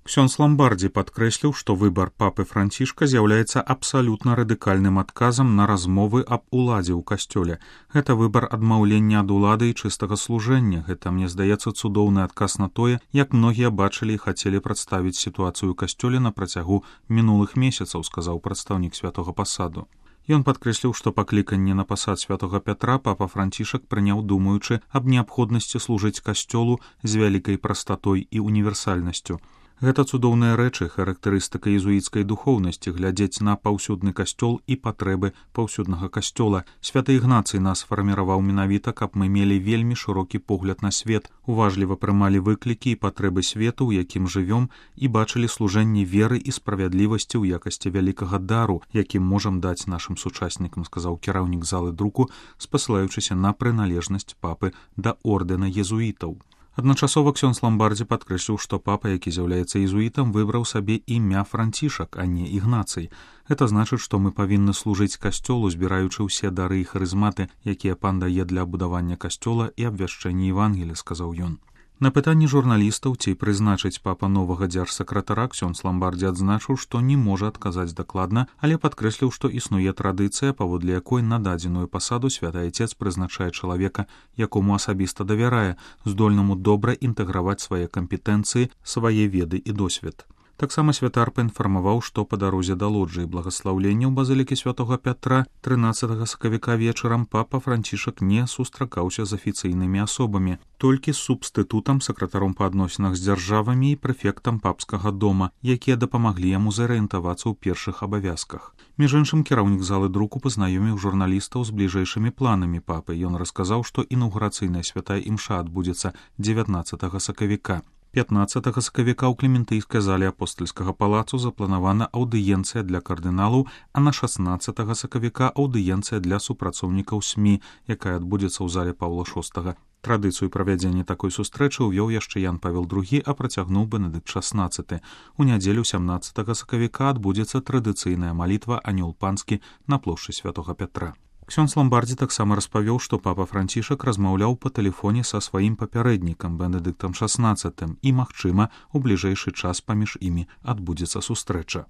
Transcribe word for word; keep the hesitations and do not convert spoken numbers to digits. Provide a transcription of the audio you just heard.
Ксёндз Ламбардзі падкрэсліў, што выбар папы Францішка з'яўляецца абсалютна радыкальным адказам на размовы аб уладзе ў касцёле. Гэта выбар адмаўлення ад улады і чыстага служэння. Гэта, мне здаецца, цудоўны адказ на тое, як многія бачылі і хацелі прадставіць сітуацыю ў касцёле на працягу мінулых месяцаў, сказаў прадстаўнік святога пасаду. Ён падкрэсліў, што пакліканне на пасад святога Пятра папа Францішак прыняў, думаючы аб неабходнасці служыць касцёлу з вялікай прастатой і універсальнасцю. Гэта цудоўныя рэчы, характарыстыка езуіцкай духоўнасці, глядзець на паўсюдны касцёл і патрэбы паўсюднага касцёла. Святы Ігнацый нас фарміраваў менавіта, каб мы мелі вельмі шырокі погляд на свет, уважліва прымалі выклікі і патрэбы свету, у якім жывём, і бачылі служэнне веры і справядлівасці ў якасці вялікага дару, якім можам даць нашым сучаснікам, сказаў кіраўнік залы друку, спасылаючыся на прыналежнасць папы да ордэна езуітаў. Адначасова Ксёндз Ламбардзі падкрэсліў, што папа, які з'яўляецца езуітам, выбраў сабе імя Францішак, а не Ігнацый. Гэта значыць, што мы павінны служыць касцёлу, збіраючы ўсе дары і харызматы, якія пан дае для будавання касцёла і абвяшчэння Евангелія, сказаў ён. На пытанні журналістаў, ці прызначыць папа новага дзяржсакратара, Ксёндз Ламбардзі адзначыў, што не можа адказаць дакладна, але падкрэсліў, што існуе традыцыя, паводле якой на дадзеную пасаду святы айцец прызначае чалавека, якому асабіста давярае, здольнаму добра інтэграваць свае кампетэнцыі, свае веды і досвед. Таксама святар паінфармаваў, што па дарозе да лоджыі благаслаўлення ў базылікі святога Пятра трынаццатага сакавіка вечарам папа Францішак не сустракаўся з афіцыйнымі асобамі, толькі з субстытутам, сакратаром па адносінах з дзяржавамі і прэфектам папскага дома, якія дапамаглі яму зарыентавацца ў першых абавязках. Між іншым, кіраўнік залы друку пазнаёміў журналістаў з бліжэйшымі планамі папы. Ён расказаў, што інаўгурацыйная святая імша адбудзецца дзевятнаццатага сакавіка. пятнаццатага сакавіка ў клементыйскай зале апостальскага палацу запланавана аўдыенцыя для кардыналаў, а на шаснаццатага сакавіка аўдыенцыя для супрацоўнікаў СМІ, якая адбудзецца ў зале Паўла шостага. Традыцыю правядзення такой сустрэчы ўвёў яшчэ Ян Павел другі, а працягнуў Бенедыкт шаснаццаты. У нядзелю сямнаццатага сакавіка адбудзецца традыцыйная малітва «Анёл панскі» на плошчы святога Пятра. Ксёндз Ламбардзі таксама распавёў, што папа Францішак размаўляў па тэлефоне са сваім папярэднікам Бенедыктам шаснаццатым і, магчыма, у бліжэйшы час паміж імі адбудзецца сустрэча.